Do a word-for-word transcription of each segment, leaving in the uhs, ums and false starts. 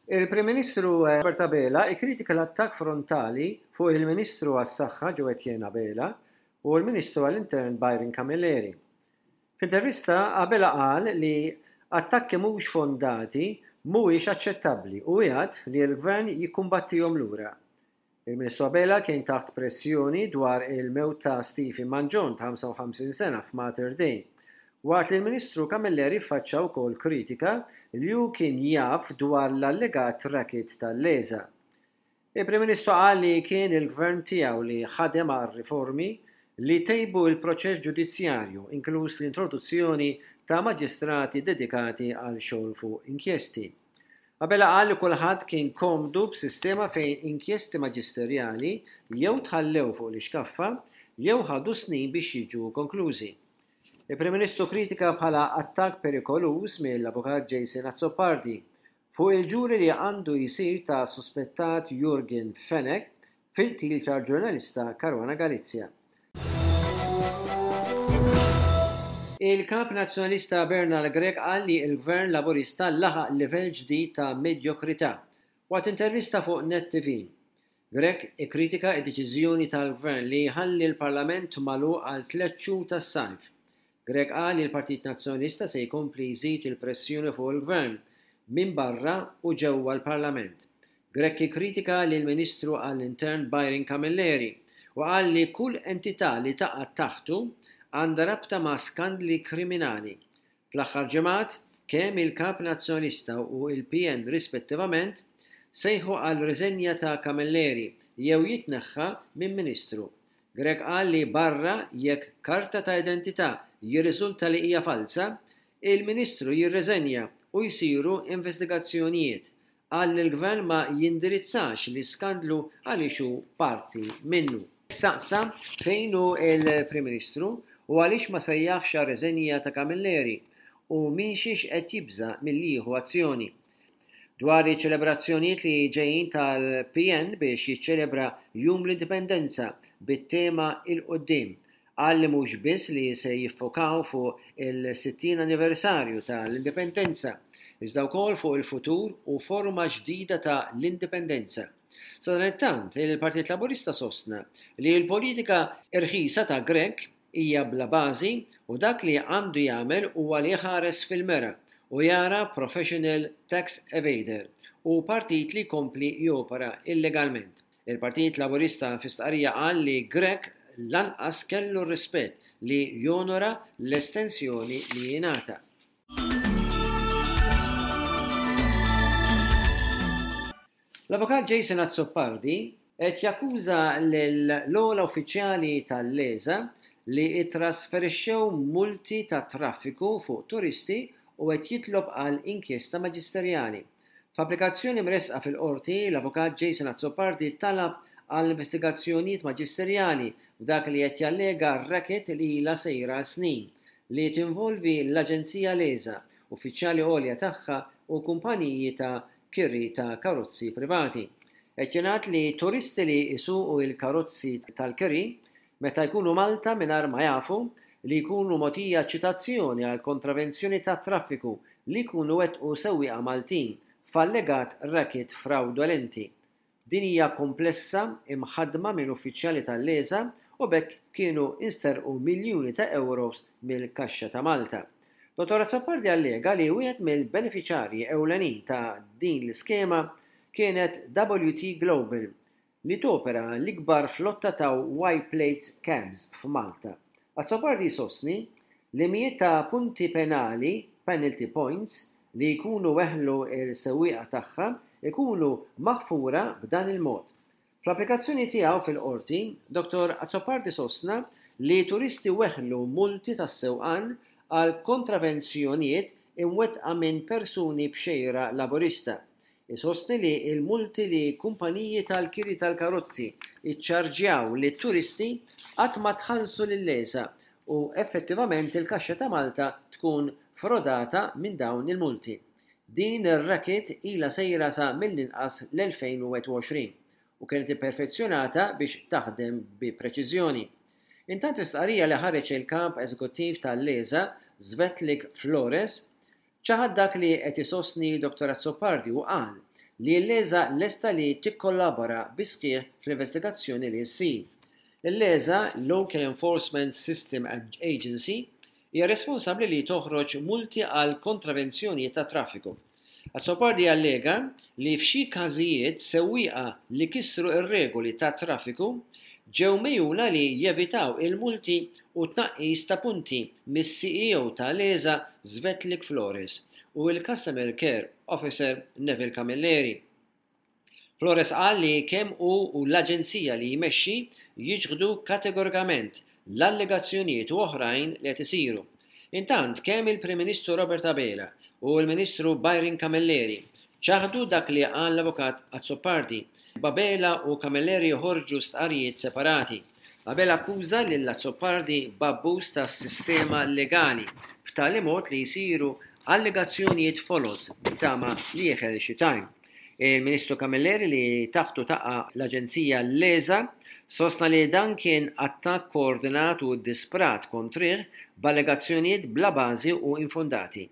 Il-Prim Ministru Robert Abela ikkritika l-attakk frontali fuq il-Ministru għas-Saħħa Jo Etienne Abela u l-Ministru għall-Intern Byron Camilleri. F'intervista Abela qal li attakki mhux fondati mhuwiex aċċettabbli u wiegħed li l-Gvern jikkumbattihom lura. Il-Ministru Abela kien taħt pressjoni dwar il-mewt ta' Stephen Mangion ta' ħamsa u ħamsin sena f'Mater Dei, waqt li l-Ministru Camilleri faċċa wkoll kritika li hu kien jaf dwar l-allegat racket tal-LESA. Il-Prim Ministru qal li kien il-gvern tiegħu li ħadem għal riformi li tejbu il-proċess ġudizzjarju, inkluż l-introduzzjoni ta' maġistrati dedikati għal xogħol fuq inkjesti. Abela qal li kulħadd kien komdu b'sistema fejn inkjesti maġisterjali jew tħallew fuq l-iskaffa jew ħadu snin biex jiġu konklużi. Il-Prim Ministru kritika bħala attakk perikoluż mill-Avukat Jason Azzopardi fuq il-ġuri li għandu jisir ta' suspettat Yorgen Fenech fil-qtil tal-ġurnalista Caruana Galizia. Il-kap nazzjonalista Bernard Grech qal li l-Gvern Laburista laħaq livell ġdid ta' medjokrità waqt intervista fuq Net T V. Grech ikkritika d-deċiżjoni tal-Gvern li jħalli l-Parlament magħluq għal tliet xhur tas-sajf. Grech qal li l-Partit Nazzjonalista se jkompli jżid il-pressjoni fuq il-Gvern minn barra u ġewwa l-Parlament. Grech ikkritika lill-Ministru għall-Intern Byron Camilleri u qal li kull entità li taqa' taħtu għandha rabta ma' skandli kriminali. Fl-aħħar ġimgħat, kemm il-Kap Nazzjonalista u il-P N rispettivament sejħu għal riżenja ta' Camilleri jew jitneħħa minn Ministru. Grech qal li barra jekk karta ta' identità jirriżulta li hija falsa, il-Ministru jirriżenja u jsiru investigazzjonijiet. Qal li l-Gvern ma jindirizzax l-iskandlu għaliex hu parti minnu. Staqsa fejn hu il-Prim Ministru u għaliex ma sejjaħx riżenja ta' Camilleri u minn xiex qed jibża milli jieħu azzjoni. Dwar iċ-ċelebrazzjonijiet li ġejjin tal-P N biex jiċċelebra Jum l-Indipendenza bit-tema 'Il Quddiem, qal li mhux biss li se jiffokaw fuq il-sittin anniversarju tal-Indipendenza, iżda wkoll fuq il-futur u forma ġdida ta' l-indipendenza. Sadanittant, il-Partit Laburista sostna li l-politika irħisa ta' Grech hija bla bażi u dak li għandu jagħmel huwa li jħares fil-mera u jara professional tax evader u partit li kompli jopera illegalment. Il-Partit Laburista fi stqarrija qal li Grech lanqas kellu rispett li jonora l-estensjoni li jingħata. L-Avukat Jason Azzopardi qed jakkuża l-ogħla uffiċjali tal-LESA li trasferixxew multi ta' traffiku fuq turisti u qed jitlob għal inkjesta maġisterjali. F'applikazzjoni mresqa fil-qorti, l-Avukat Jason Azzopardi talab għal investigazzjonijiet maġisterjali f'dak li qed jallega racket li ilha sejra snin li tinvolvi l-Aġenzija LESA, uffiċjali għolja tagħha u kumpaniji ta' kiri ta' karozzi privati. Qed jingħad li turisti li jsuqu il-karozzi tal-kiri meta jkunu Malta mingħajr ma jafu li jkunu mogħtija ċitazzjoni għal kontravenzjoni ta' traffiku li jkunu wettqu sewwieqa Maltin f'allegat racket fraudolenti. Din hija komplessa imħadma minn uffiċjali tal-LESA u b'hekk kienu insterqu miljuni ta' euros mill-kaxxa ta' Malta. Dottor Azzopardi allega li wieħed mill-beneficjarji ewlenin ta' din l-iskema kienet W T Global, li topera l-ikbar flotta ta' white plates cabs f'Malta. Azzopardi sostni li mijiet ta' punti penali, penalty points, li jkunu weħlu il-sewwieqa tagħha ikunu maħfura b'dan il-mod. Fl-applikazzjoni tiegħu fil-qorti, Dottor Azzopardi sostna li turisti weħlu multi tas-sewqan għal kontravenzjonijiet imwettqa minn persuni b'xejra laburista. Isostni li il-multi li kumpaniji tal-kiri tal-karozzi iċċarġjaw li turisti qatt ma tħallsu lil-LESA u effettivament il-kaxxa ta' Malta tkun frodata minn dawn il-multi. Din ir-racket ilha sejra sa mill-inqas l-elfejn u wieħed u għoxrin u kienet imperfezzjonata biex taħdem bi preċiżjoni. Intant, stqarrija li ħareġ il-kap eżekuttiv tal-LESA, Svetlik Flores, ċaħad dak li qed isostni Dottor Azzopardi u qal li l-LESA lesta li tikkollabora bis-sħiħ fl-investigazzjoni li ssir. Il-LESA, Local Enforcement System Agency, hija responsabbli li toħroġ multi għal kontravenzjonijiet ta' traffiku. Azzopardi allega li f'xi każijiet sewwieqa li kisru r-regoli ta' traffiku ġew megħjuna li jevitaw il-multi u tnaqqis ta' punti mis-C E O ta' LESA Svetlik Flores u l-Customer Care Officer Neville Camilleri. Flores qal li kemm hu u l-aġenzija li jmexxi jiċħdu kategorikament l-allegazzjonijiet u oħrajn li qed isiru. Intant, kemm il-Prim Ministru Robert Abela u l-Ministru Byron Camilleri ċaħdu dak li qal l-Avukat Azzopardi. Abela u Camilleri joħorġu stqarrijiet separati. Abela akkuża lil Azzopardi b'abbuż tas-sistema legali b'tali mod li jsiru allegazzjonijiet foloz b'tama li jeħel xi tajn. Il-Ministru Camilleri, li taħtu taqa' l-Aġenzija LESA, sostna li dan kien attakk koordinat u disprat kontrih b'allegazzjonijiet bla bażi u infondati.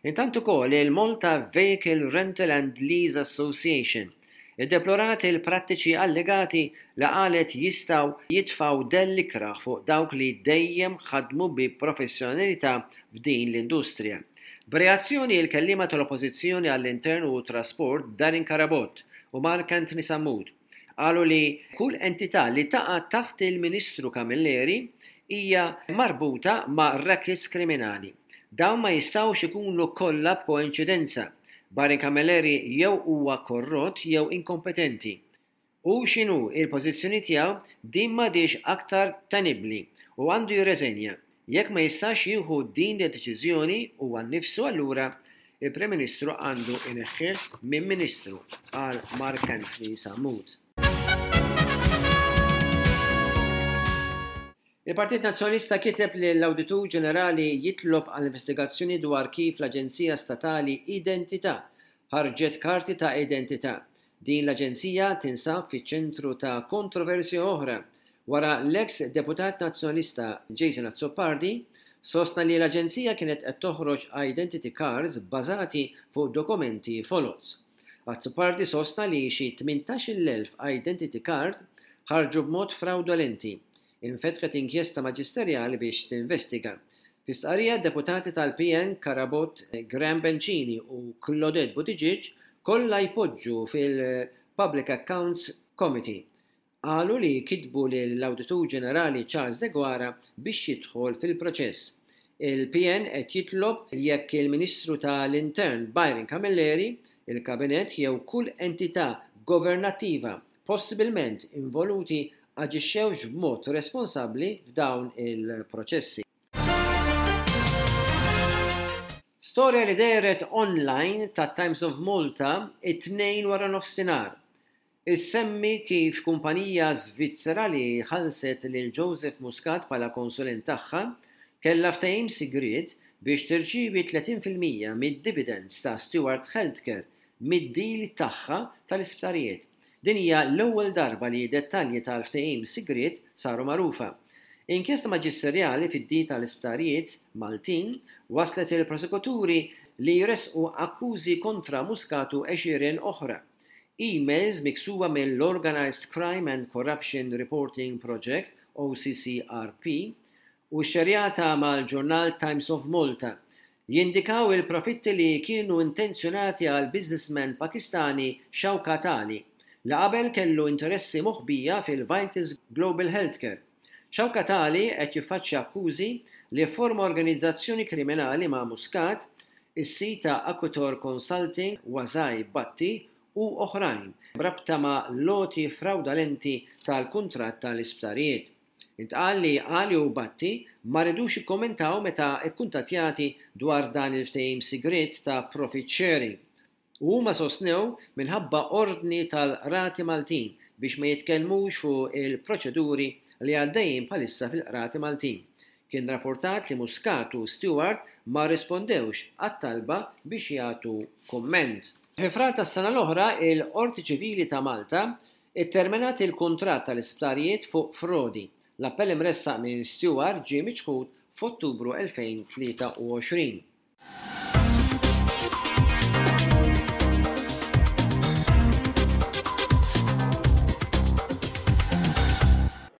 Intant ukoll il-Malta Vehicle Rental and Lease Association iddeplorat il-prattiċi allegati li qalet jistgħu jitfgħu dell ikrah fuq dawk li dejjem ħadmu bi professjonalità f'din l-industrija. B'reazzjoni, il-kelliema tal-Oppożizzjoni għall-Intern u Trasport Darin Carabott u Mark Anthony Sammut qalu li kull entità li taqa' taħt il-Ministru Camilleri hija marbuta ma' rackets kriminali. Dawn ma jistgħux ikunu kollha b'koinċidenza. Byron Camilleri jew huwa korrott jew inkompetenti. U x'inhu il-pożizzjoni tiegħu, din m'għadhiex aktar tenibbli u għandu jirreżenja. Jekk ma jistax jieħu din id-deċiżjoni huwa nnifsu, allura il-Prim Ministru għandu ineħħih minn Ministru, qal Mark Anthony Sammut. Il-Partit Nazzjonalista kiteb li l-Awditur Ġenerali jitlob għal investigazzjoni dwar kif l-Aġenzija Statali Identità ħarġet karti ta' identità. Din l-aġenzija tinsab fiċ-ċentru ta' kontroversja oħra wara l-eks deputat nazzjonalista Jason Azzopardi sostna li l-aġenzija kienet qed toħroġ identity cards bbażati fuq dokumenti foloz. Azzopardi sostna li xi tmintax-il elf identity card ħarġu b'mod fraudolenti. Infetħet inkjesta maġisterjali biex tinvestiga. Fi stqarrija, deputati tal-P N Carabott, Graham Bencini u Claudette Buttigieg, kollha jpoġġu fil-Public Accounts Committee, qalu li kitbu lill-Awditur Ġenerali Charles Deguara biex jidħol fil-proċess. Il-P N qed jitlob jekk il-Ministru tal-Intern Byron Camilleri, il-Kabinett jew kull entità governattiva possibilment involuti aġixxewx b'mod responsabbli f'dawn il-proċessi. Storja li dehret online ta' Times of Malta it-Tnejn wara nofsinhar issemmi kif kumpanija Svizzera li ħallset lil Joseph Muscat bħala konsulent tagħha kellha ftehim sigriet biex tirċievi tletin fil-mija mid-dividends ta' Steward Healthcare mid-deal tagħha tal-isptarijiet. Din hija l-ewwel darba li dettalji tal-ftehim sigriet saru magħrufa. Inkjesta maġisterjali fid-deal tal-isptarijiet Maltin waslet il-prosekuturi li jresqu akkużi kontra Muscat u għexieren oħra. Emails miksuba mill-Organized Crime and Corruption Reporting Project, O C C R P, u xerjata mal-ġurnal Times of Malta jindikaw il-profitti li kienu intenzjonati għal businessman Pakistani Shaukat Ali li qabel kellu interessi moħbija fil-Vitas Global Healthcare. Shaukat Ali qed jiffaċċja akkużi li forma organizzazzjoni kriminali ma' Muscat, is-sid ta' Aquitor Consulting Wazai Bhatti u oħrajn b'rabta ma' l-għoti fraudolenti tal-kuntratt tal-isptarijiet. Intqal li Ali u Bhatti ma ridux jikkommentaw meta ikkuntattjati dwar dan il-ftehim sigriet ta' profit sharing. U huma sostnew minħabba ordni tal-qrati Maltin biex ma jitkellmux fuq il-proċeduri li għaddejjin bħalissa fil-qrati Maltin. Kien rapportat li Muscat u Steward ma rispondewx għat-talba biex jagħtu komment. Fi Frar tas-sena l-oħra, il-Qorti Ċivili ta' Malta itterminat il-kuntratt tal-isptarijiet fuq frodi. L-appell imressaq minn Steward ġie miċħud f'Ottubru elfejn u tlieta u għoxrin.